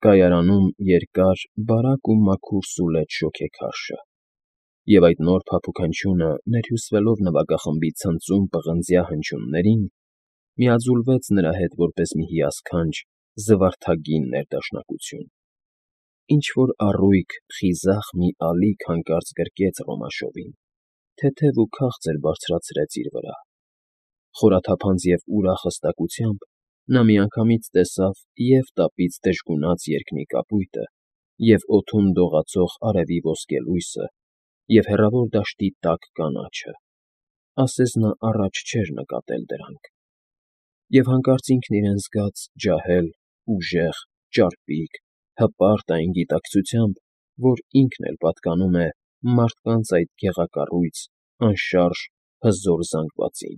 Կայարանում երկար, բարակ ու մաքուր սուլեց շոգեքարշը, և այդ նոր փափուկ հնչյունը, ներհյուսվելով նվագախմբի ցնծում պղնձյա հնչյուններին, միաձուլվեց նրա հետ որպես մի հիասքանչ, զվարթագին ներդաշնակություն. ինչ֊որ առույգ, խիզախ մի ալիք հանկարծ գրկեց Ռոմաշովին, թեթև ու քաղցր բարձրացրեց իր վրա. խորաթափանց և ուրախ հստակությամբ նա միանգամից տեսավ և՛ տապից դժգունած երկնի կապույտը, և՛ օդում դողացող արևի ոսկե լույսը, և՛ հեռավոր դաշտի տաք կանաչը, ասես նա առաջ չէր նկատել դրանք, և հանկարծ ինքն իրեն զգաց ջահել, ուժեղ, ճարպիկ, հպարտ այն գիտակցությամբ, որ ինքն էլ պատկանում է մարդկանց այդ գեղակառույց, անշարժ, հզոր զանգվածին,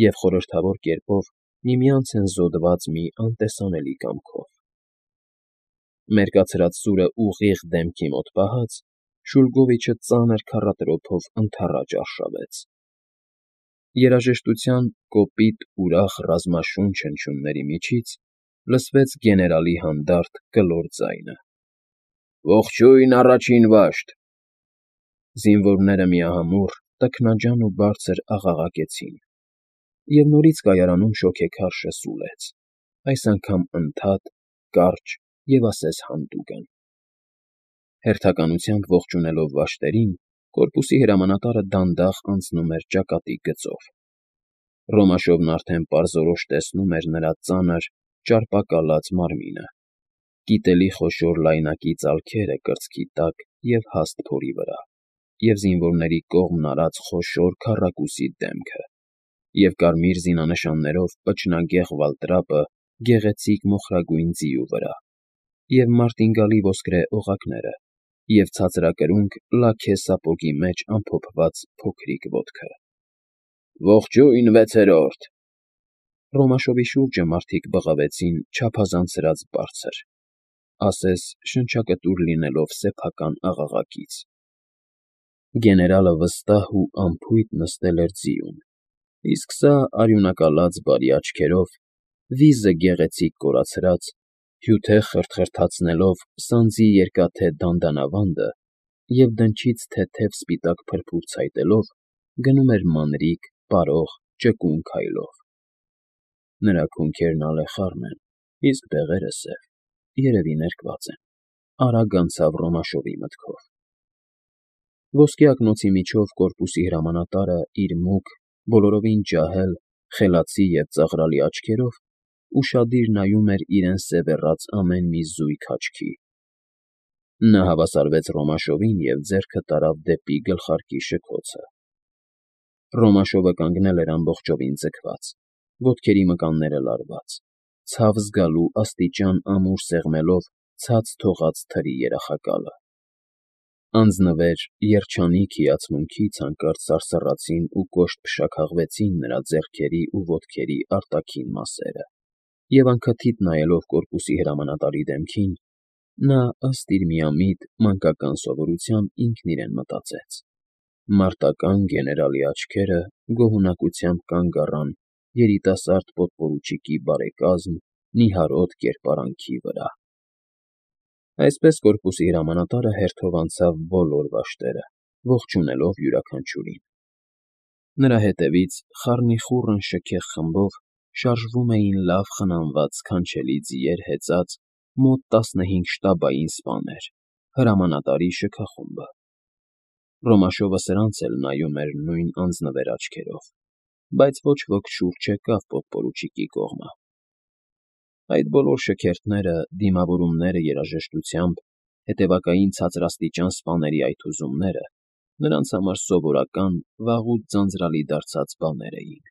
և խորհրդավոր կերպով միմյանց են զոդված մի անտեսանելի կամքով։ Մերկացրած սուրը ուղիղ դեմքի մոտ պահած, Շուլգովիչը ծանր քառատրոփով ընդառաջ արշավեց. երաժշտության կոպիտ, ուրախ ռազմաշունչ հնչյունների միջից լսվեց գեներալի հանդարտ, կլոր ձայնը. «Ողջույն, առաջին վաշտ»։ Զինվորները միահամուռ, տքնաջան ու բարձր աղաղակեցին, և նորից կայարանում շոգեքարշը սուլեց, այս անգամ ընդհատ, կարճ և ասես հանդուգն։ Հերթականությամբ ողջունելով վաշտերին, կորպուսի հրամանատարը դանդաղ անցնում էր ճակատի գծով։ Ռոմաշովն արդեն պարզորոշ տեսնում էր նրա ծանր, ճարպակալած մարմինը, կիտելի խոշոր լայնակի ծալքերը կրծքի տակ և հաստ փորի վրա, և զինվորների կողմն արած խոշոր քառակուսի դեմքը, և կարմիր զինանշաններով պճնագեղ վալտրապը գեղեցիկ մոխրագույն ձիու վրա, և մարտինգալի ոսկրե օղակները, և ցածրակրունկ լաքե սապոգի մեջ ամփոփված փոքրիկ ոտքը։ «Ողջույն, վեցերորդ»։ Ռոմաշովի շուրջը մարդիկ բղավեցին չափազանցրած բարձր, ասես շնչակտուր լինելով սեփական աղաղակից։ Գեներալը վստահ ու անփույթ նստել էր ձիուն, իսկ սա արյունակալած բարի աչքերով, վիզը գեղեցիկ կորացրած, հյութեղ խրթխրթացնելով սանձի երկաթե դանդանավանդը և դնչից թեթև սպիտակ փրփուր ցայտելով, գնում էր մանրիկ, պարող, ճկուն քայլով։ Նրա քունքերն ալեխառն են, իսկ բեղերը սև, երևի ներկված են, արագ անցավ Ռոմաշովի մտքով։ Ոսկե ակնոցի միջով կորպուսի հրամանատարը իր մուգ, բոլորովին ջահել, խելացի և ծաղրալի աչքերով ուշադիր նայում էր իրեն սևեռած ամեն մի զույգ աչքի։ Նա հավասարվեց Ռոմաշովին և ձեռքը տարավ դեպի գլխարկի շքոցը։ Ռոմաշովը կանգնել էր ամբողջովին ձգված, ոտքերի մկանները լարված, ցավ զգալու աստիճան ամուր սեղմելով ցած թողած թրի երախակալը։ Անձնվեր, երջանիկ հիացմունքից հանկարծ սարսռացին ու կոշտ փշաքաղվեցին նրա ձեռքերի ու ոտքերի արտաքին մասերը, և անքթիթ նայելով կորպուսի հրամանատարի դեմքին, նա, ըստ իր միամիտ, մանկական սովորության, ինքն իրեն մտածեց. մարտական գեներալի աչքերը գոհունակությամբ կանգ առան երիտասարդ պոդպորուչիկի բարեկազմ, նիհարոտ կերպարանքի վրա։ Այսպես կորպուսի հրամանատարը հերթով անցավ բոլոր վաշտերը, ողջունելով յուրաքանչյուրին։ Նրա հետևից խառնիխուռն շքեղ խմբով շարժվում էին լավ խնամված սքանչելի ձիեր հեծած մոտ 15 շտաբային սպաներ, հրամանատարի շքախումբը։ Ռոմաշովը սրանց էլ նայում էր նույն անձնվեր աչքերով, բայց ոչ ոք շուռ չեկավ պոդպորուչիկի կողմը։ Այդ բոլոր շքերթները, դիմավորումները երաժշտությամբ, հետևակային ցածրաստիճան սպաների այդ հուզումները նրանց համար սովորական, վաղուց ձանձրալի դարձած բաներ էին,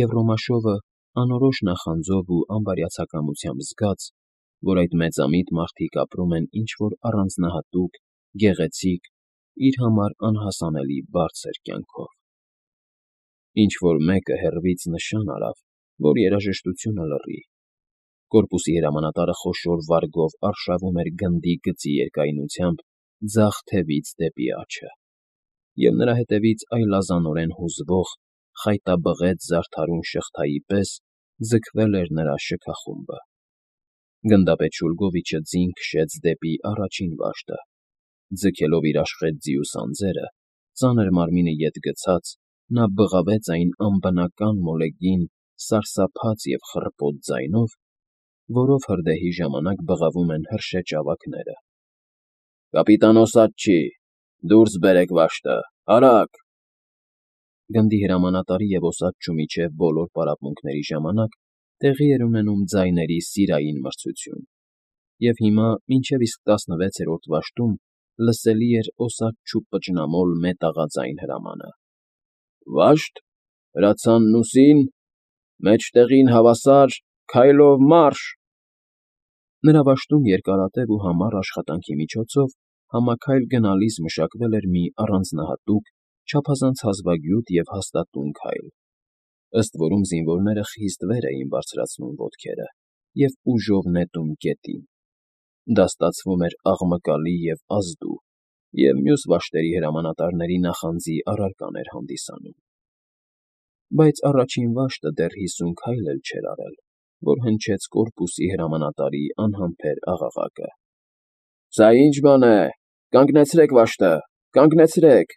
և Ռոմաշովը անորոշ նախանձով ու անբարյացակամությամբ զգաց, որ այդ մեծամիտ մարդիկ ապրում են ինչ֊որ առանձնահատուկ, գեղեցիկ, իր համար անհասանելի բարձր կյանքով։ Ինչ֊որ մեկը հեռվից նշան արավ, որ երաժշտությունը լռի։ Կորպուսի հրամանատարը խոշոր վարգով արշավում էր գնդի գծի երկայնությամբ ձախ թևից դեպի աջը, և նրա հետևից այլազանորեն հուզվող, խայտաբղետ զարդարուն շղթայի պես ձգվել էր նրա շքախումբը։ Գնդապետ Շուլգովիչը ձին քշեց դեպի առաջին վաշտը, ձգելով իր աշխատ ձիու սանձերը, ծանր մարմինը ետ գցած, նա բղավեց այն անբնական մոլեգին սարսափած և խռպոտ ձայնով, որով հրդեհի ժամանակ բղավում են հրշեջ ավագները. «Կապիտան Օսաչի, դուրս բերեք վաշտը, արագ»։ Գնդի հրամանատարի և Օսաչուի միջև բոլոր պարապմունքների ժամանակ տեղի էր ունենում ձայների սիրային մրցություն, և հիմա, մինչև իսկ 16-րդ վաշտում, լսելի էր Օսաչու պճնամոլ մետաղաձայն հրամանը. «Վաշտ, հրացանն ուսին, մեջտեղին հավասար, քայլով մարշ»։ Նրա վաշտում երկարատև ու համառ աշխատանքի միջոցով համաքայլ գնալիս մշակվել էր մի առանձնահատուկ, չափազանց հազվագյուտ և հաստատուն քայլ, ըստ որում զինվորները խիստ վեր էին բարձրացնում ոտքերը և ուժով նետում գետին. դա ստացվում էր աղմկալի և ազդու, և մյուս վաշտերի հրամանատարների նախանձի առարկան էր հանդիսանում։ Բայց առաջին վաշտը դեռ 50 քայլ էլ չէր արել, որ հնչեց կորպուսի հրամանատարի անհամբեր աղաղակը. «Սա ի՞նչ բան է, կանգնեցրեք վաշտը, կանգնեցրեք»։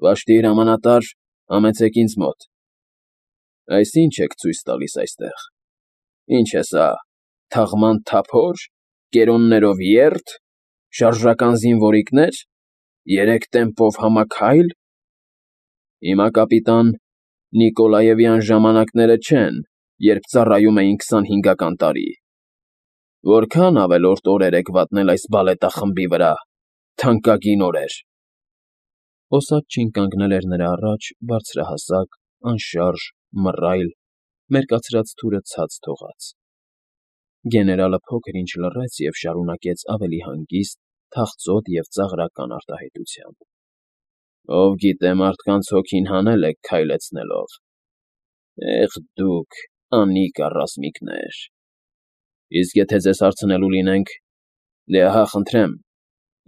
«Վաշտի հրամանատար, համեցեք ինձ մոտ»։ «Այս ի՞նչ եք ցույց տալիս այստեղ, ինչ է սա, թաղման թափո՞ր, կերոններով ե՞րթ, շարժական զինվորիկնե՞ր, երեք տեմպով համաքայլ»։ «Հիմա, կապիտան, Նիկոլաևյան ժամանակները չեն, երբ ծառայում էին 25-ական տարի։ Որքա՞ն ավելորդ օրեր եք վատնել այս բալետախմբի վրա, թանկագին օրեր»։ Օսաչին կանգնել էր նրա առաջ բարձրահասակ, անշարժ, մռայլ, մերկացրած թուրը ցած թողած։ Գեներալը փոքր-ինչ լռեց և շարունակեց ավելի հանգիստ, թախծոտ և ծաղրական արտահայտությամբ. «Ով գիտե մարդկանց հոգին հանել եք քայլեցնելով։ Եղ դուք, անիկա ռազմիկներ… Իսկ եթե ձեզ հարցնելու լինենք, դե ահա, խնդրեմ,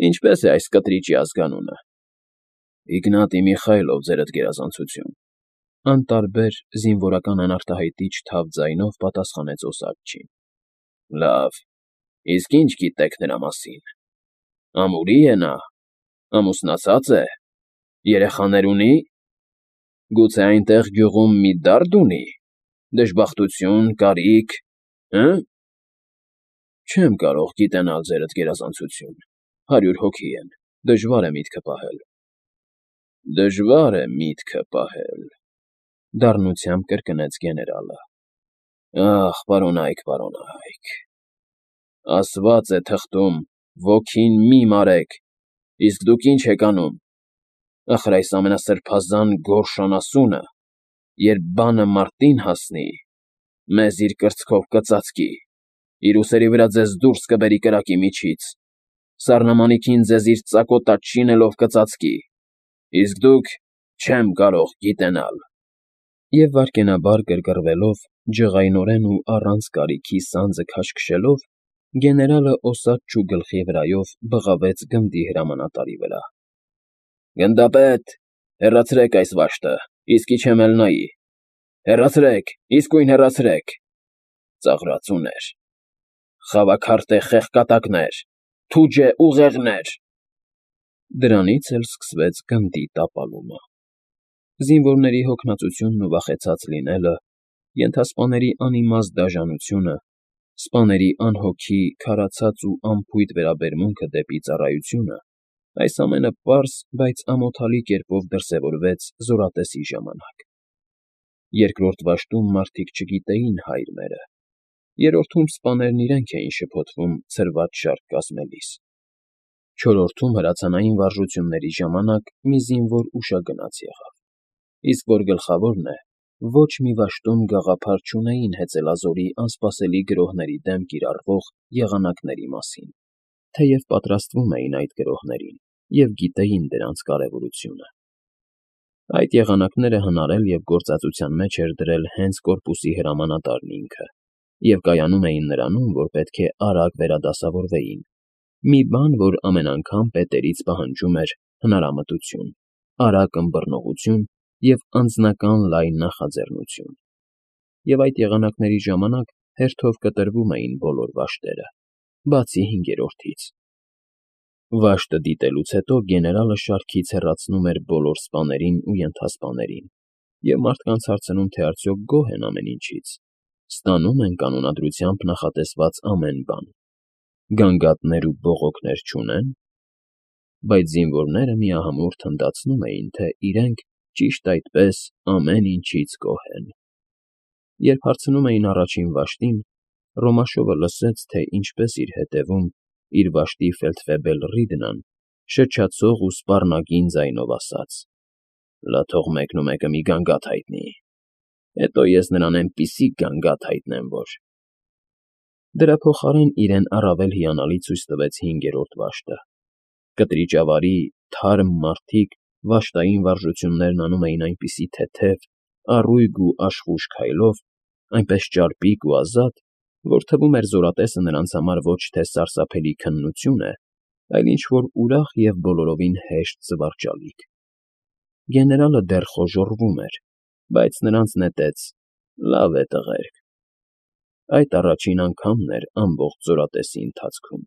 ինչպե՞ս է այս կտրիճի ազգանունը»։ «Իգնատի Միխայլով, ձերդ գերազանցություն», անտարբեր, զինվորական անարտահայտիչ թավ ձայնով պատասխանեց Օսաչին։ «Լավ, իսկ ի՞նչ գիտեք նրա մասին։ Ամուրի՞ է նա, ամուսնացած է, երեխաներ ունի՞, գուցե այնտեղ գյուղում մի դարդ ունի, դժբախտություն, կարիք, հը՞»։ «Չեմ կարող գիտենալ, ձերդ գերազանցություն, 100 հոգի են, դժվար է միտքը պահել»։ «Դժվար է միտքը պահել», դառնությամբ կրկնեց գեներալը։ «Ախ, պարոնա՛յք, պարոնա՛յք… Ասված է թղթում. ոգին մի մարեք, իսկ դուք ի՞նչ եք անում։ Ախր այս ամենասրբազան գորշ անասունը, երբ բանը մարտին հասնի, մեզ իր կրծքով կծածկի, իր ուսերի վրա ձեզ դուրս կբերի կրակի միջից, սառնամանիքին ձեզ իր ծակոտած շինելով կծածկի, իսկ դուք… չեմ կարող գիտենալ»։ Եվ վայրկենաբար գրգռվելով, ջղայնորեն ու առանց կարիքի սանձը քաշքշելով, գեներալը Օսաչու գլխի վրայով բղավեց գնդի հրամանատարի վրա. «Գնդապետ, հեռացրեք այս վաշտը, իսկի չեմ էլ նայի… Հեռացրեք, իսկույն հեռացրեք… Ծաղրածուներ… խավաքարտե խեղկատակներ… թուջե ուղեղներ»։ Դրանից էլ սկսվեց գնդի տապալումը։ Զինվորների հոգնածությունն ու վախեցած լինելը, ենթասպաների անիմաստ դաժանությունը, սպաների անհոգի, քարացած ու անփույթ վերաբերմունքը դեպի ծառայությունը, այս ամենը պարզ, բայց ամոթալի կերպով դրսևորվեց զորատեսի ժամանակ։ Երկրորդ վաշտում մարդիկ չգիտեին հայր մերը, երրորդում սպաներն իրենք էին շփոթվում ցրված շարք կազմելիս, չորրորդում հրացանային վարժությունների ժամանակ մի զինվոր ուշագնաց եղավ, իսկ որ գլխավորն է, ոչ մի վաշտում գաղափար չունեին հեծելազորի անսպասելի գրոհների դեմ կիրառվող եղանակների մասին, թեև պատրաստվում էին այդ գրոհներին և գիտեին դրանց կարևորությունը։ Այդ եղանակները հնարել և գործածության մեջ էր դրել հենց կորպուսի հրամանատարն ինքը և կայանում էին նրանում, որ պետք է արագ վերադասավորվեին, մի բան, որ ամեն անգամ պետերից պահանջում էր հնարամտություն, արագ ըմբռնողություն և անձնական լայն նախաձեռնություն։ Եվ այդ եղանակների ժամանակ հերթով կտրվում էին բոլոր վաշտերը, բացի հինգերորդից։ Վաշտը դիտելուց հետո գեներալը շարքից հեռացնում էր բոլոր սպաներին ու ենթասպաներին և մարդկանց հարցնում, թե արդյոք գոհ են ամեն ինչից, ստանում են կանոնադրությամբ նախատեսված ամեն բան, գանգատներ ու բողոքներ չունե՞ն։ Բայց զինվորները միահամուռ թնդացնում էին, թե իրենք, ճիշտ այդպես, ամեն ինչից գոհ են։ Երբ հարցնում էին առաջին վաշտին, Ռոմաշովը լսեց, թե ինչպես իր հետևում, իր վաշտի ֆելդֆեբել Ռիդնան շրջացող ու սպառնագին ձայնով ասաց. «Լա թող մեկնումեկը մի գանգատ հայտնի, հետո ես նրան էնպիսի գանգատ հայտնեմ, որ…» Դրա փոխարեն իրեն առավել հիանալի ցույց տվեց հինգերորդ վաշտը։ Կտրիճավարի, թարմ մարդիկ վաշտային վարժություններն անում էին այնպիսի թեթև, առույգ ու աշխույժ քայլով, այնպես ճարպիկ ու ազատ, որ թվում էր զորատեսը նրանց համար ոչ թե սարսափելի քննություն է, այլ ինչ֊որ ուրախ և բոլորովին հեշտ զվարճալիք։ Գեներալը դեռ խոժոռվում էր, բայց նրանց նետեց. «Լավ է, տղերք»։ Այդ առաջին անգամն էր ամբողջ զորատեսի ընթացքում։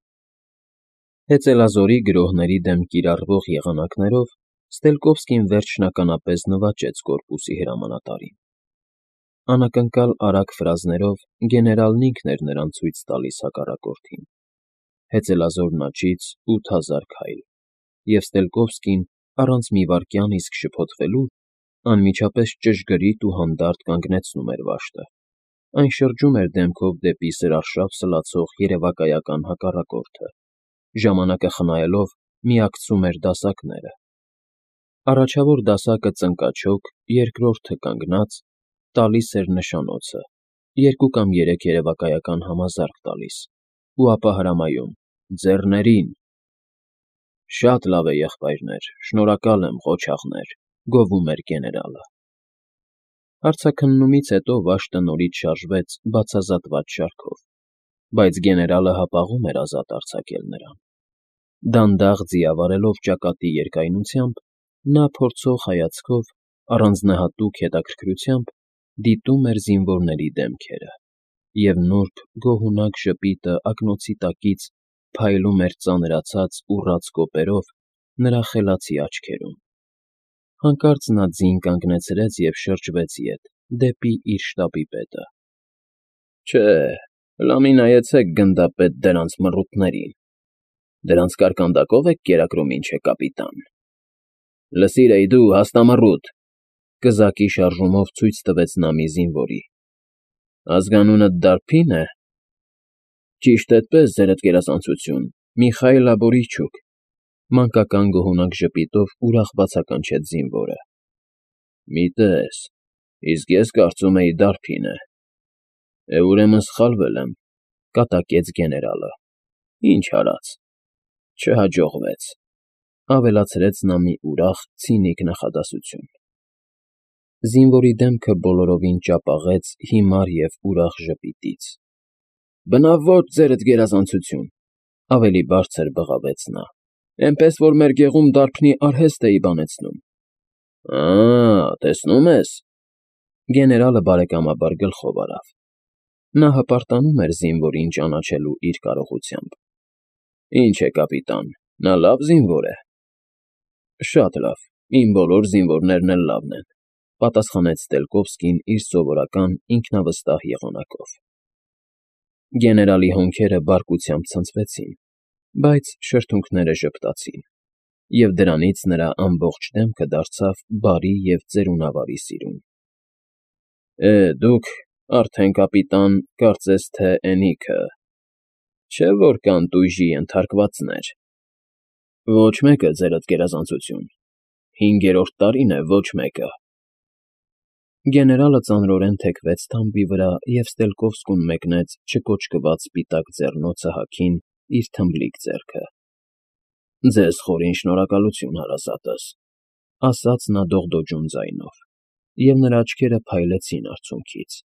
Հեծելազորի գրոհների դեմ կիրառվող եղանակներով Ստելկովսկին վերջնականապես նվաճեց կորպուսի հրամանատարին։ Անակնկալ արագ ֆրազներով գեներալն ինքն էր նրան ցույց տալիս հակառակորդին։ Հեծելազորն աջից 8000 քայլ, և Ստելկովսկին, առանց մի վայրկյան իսկ շփոթվելու, անմիջապես ճշգրիտ ու հանդարտ կանգնեցնում էր վաշտը։ Այն շրջում էր դեմքով դեպի սրարշավ սլացող երևակայական հակառակորդը, ժամանակը խնայելով միակցում էր դասակները։ Առաջավոր դասակը ծնկաչոք, երկրորդը կանգնած, տալիս էր նշանոցը, 2 կամ 3 երևակայական համազարկ տալիս, ու ապա հրամայում. «Ձեռներին»։ «Շատ լավ է, եղբայրներ, շնորհակալ եմ, ղոչաղներ», գովում էր գեներալը։ Հարցաքննումից հետո վաշտը նորից շարժվեց բացազատված շարքով, բայց գեներալը հապաղում էր ազատ արձակել նրան։ Դանդաղ ձիավարելով ճակատի երկայնությամբ, նա փորձող հայացքով, առանձնահատուկ հետաքրքրությամբ դիտում էր զինվորների դեմքերը, և նուրբ, գոհունակ ժպիտը ակնոցի տակից փայլում էր ծանրացած ուռած կոպերով նրա խելացի աչքերում։ Հանկարծ նա ձին կանգնեցրեց և շրջվեց ետ, դեպի իր շտաբի պետը։ «Չէ, լամի նայեցեք գնդապետ դրանց մռութներին, դրանց կարկանդակո՞վ եք կերակրում, ինչ է, կապիտան։ Լսիր, էй դու, հաստամռութ», կզակի շարժումով ցույց տվեց նա մի զինվորի։ «Ազգանունդ Դարփի՞ն է»։ «Ճիշտ էդպես, ձերդ գերազանցություն, Միխայիլ Աբորիչուկ», մանկական գոհունակ ժպիտով ուրախ բացականչեց զինվորը։ «Մի տես, իսկ ես կարծում էի Դարփին է։ Ուրեմն սխալվել եմ», կատակեց գեներալը։ «Ինչ արած, չհաջողվեց», ավելացրեց նա մի ուրախ, ցինիկ նախադասություն։ Զինվորի դեմքը բոլորովին ճապաղեց հիմար և ուրախ ժպիտից։ «Բնավ ոչ, ձերդ գերազանցություն», ավելի բարձր բղավեց նա, «էնպես որ մեր գեղում դարբնի արհեստ էի բանեցնում»։ Տեսնում ես։ Գեներալը բարեկամաբար գլխով արավ։ Նա հպարտանում էր զինվորին ճանաչելու իր կարողությամբ։ «Ինչ է, կապիտան, նա լավ զինվոր է»։ «Շատ լավ, իմ բոլոր զինվորներն էլ լավն են», պատասխանեց Ստելկովսկին իր սովորական ինքնավստահ եղանակով։ Գեներալի հոնքերը բարկությամբ ցնցվեցին, բայց շրթունքները ժպտացին, և դրանից նրա ամբողջ դեմքը դարձավ բարի և ծերունավարի սիրուն։ Դուք արդեն, կապիտան, կարծես թե էնիքը… Չէ՞ որ կան տույժի ենթարկվածներ։ Ոչ մեկը, ձերդ գերազանցություն, 5-րդ տարին է ոչ մեկը։ Գեներալը ծանրորեն թեքվեց թամբի վրա և Ստելկովսկուն մեկնեց չկոճկված սպիտակ ձեռնոցը հագին իր թմբլիկ ձեռքը։ «Ձեզ խորին շնորհակալություն, հարազատս», ասաց նա դողդոջուն ձայնով, և նրա աչքերը փայլեցին արցունքից։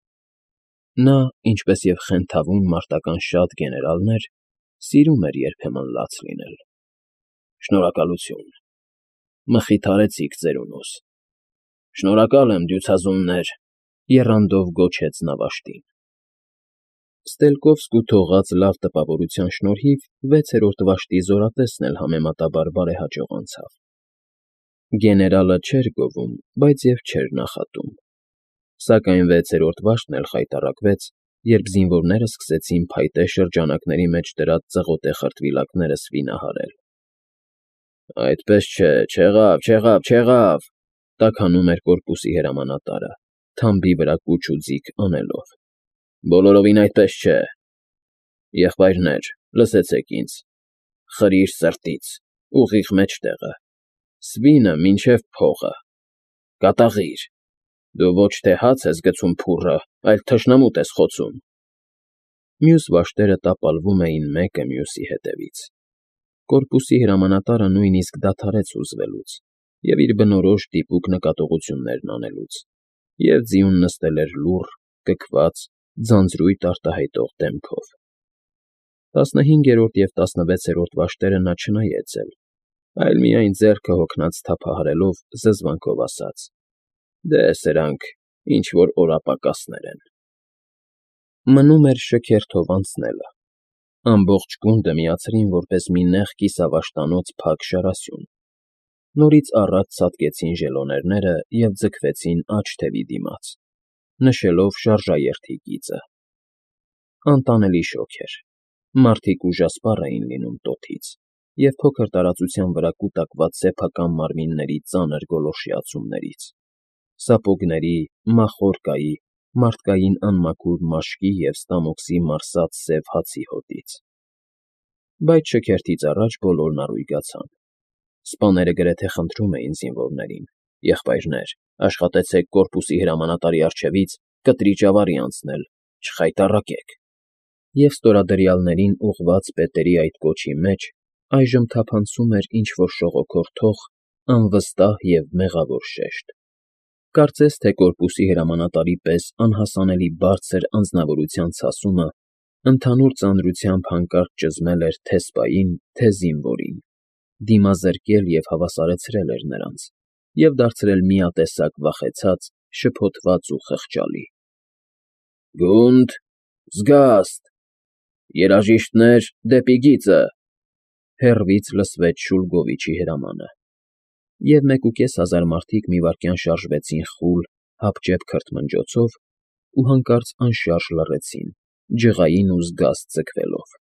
Նա, ինչպես և խենթավուն մարտական շատ գեներալներ, սիրում էր երբեմն լաց լինել։ «Շնորհակալություն, մխիթարեցիք ծերունուս»։ «Շնորհակալ եմ, դյուցազուններ», եռանդով գոչեց նա վաշտին։ Ստելկովսկու թողած լավ տպավորության շնորհիվ 6-րդ վաշտի զորատեսն էլ համեմատաբար բարեհաջող անցավ։ Գեներալը չէր գովում, բայց և չէր նախատում։ Սակայն 6-րդ վաշտն էլ խայտառակվեց, երբ զինվորները սկսեցին փայտե շրջանակների մեջ դրած ծղոտե խրտվիլակները սվինահարել։ «Այդպես չէ, չեղավ,» տաքանում էր կորպուսի հրամանատարը, թամբի վրա կուչ ու ձիգ անելով։ «Բոլորովին այդպես չէ։ Եղբայրներ, լսեցեք ինձ. խրիր սրտից, ուղիղ մեջտեղը, սվինը մինչև փողը, կատաղիր, դու ոչ թե հաց ես գցում փուռը, այլ թշնամուտ ես խոցում»։ Մյուս վաշտերը տապալվում էին մեկը մյուսի հետևից։ Կորպուսի հրամանատարը նույնիսկ դադարեց հուզվելուց և իր բնորոշ դիպուկ նկատողություններն անելուց, և ձիուն նստել էր լուռ, կքված, ձանձրույթ արտահայտող դեմքով։ 15-րդ և 16-րդ վաշտերը նա չնայեց էլ, այլ միայն ձեռքը հոգնած թափահարելով զզվանքով ասաց. «Դե, սրանք ինչ֊որ օրապակասներ են»։ Մնում էր շքերթով անցնելը։ Ամբողջ գունդը միացրին որպես մի նեղ կիսավաշտանոց փակ շարասյուն։ Նորից առաջ ցատկեցին ժելոներները և ձգվեցին աջ թևի դիմաց, նշելով շարժաերթի գիծը։ Անտանելի շոգ էր։ Մարդիկ ուժասպառ էին լինում տոթից, և փոքր տարածության վրա կուտակված սեփական մարմինների ծանր գոլորշիացումներից, սապոգների, մախորկայի, մարդկային անմաքուր մաշկի և ստամոքսի մարսած սև հացի հոտից։ Բայց շքերթից առաջ բոլորն առույգացան։ Սպաները գրեթե խնդրում էին զինվորներին. «Եղբայրներ, աշխատեցեք կորպուսի հրամանատարի առջևից կտրիճ ավարի անցնել, չխայտառակեք»։ Եվ ստորադրյալներին ուղղված պետերի այդ կոչի մեջ այժմ թափանցում էր ինչ֊որ շողոքորթող, անվստահ և մեղավոր շեշտ։ Կարծես թե կորպուսի հրամանատարի պես անհասանելի բարձր անձնավորության ցասումը ընդհանուր ծանրությամբ հանկարծ ճզմել էր թե՛ սպային, թե՛ զինվորին, դիմազրկել և հավասարեցրել էր նրանց և դարձրել միատեսակ վախեցած, շփոթված ու խղճալի։ «Գունդ, զգաստ, երաժիշտներ դեպի գիծը», հեռվից լսվեց Շուլգովիչի հրամանը, և 1500 մարդիկ մի վայրկյան շարժվեցին խուլ, հապճեպ քրթմնջոցով ու հանկարծ անշարժ լռեցին, ջղային ու զգաստ ձգվելով։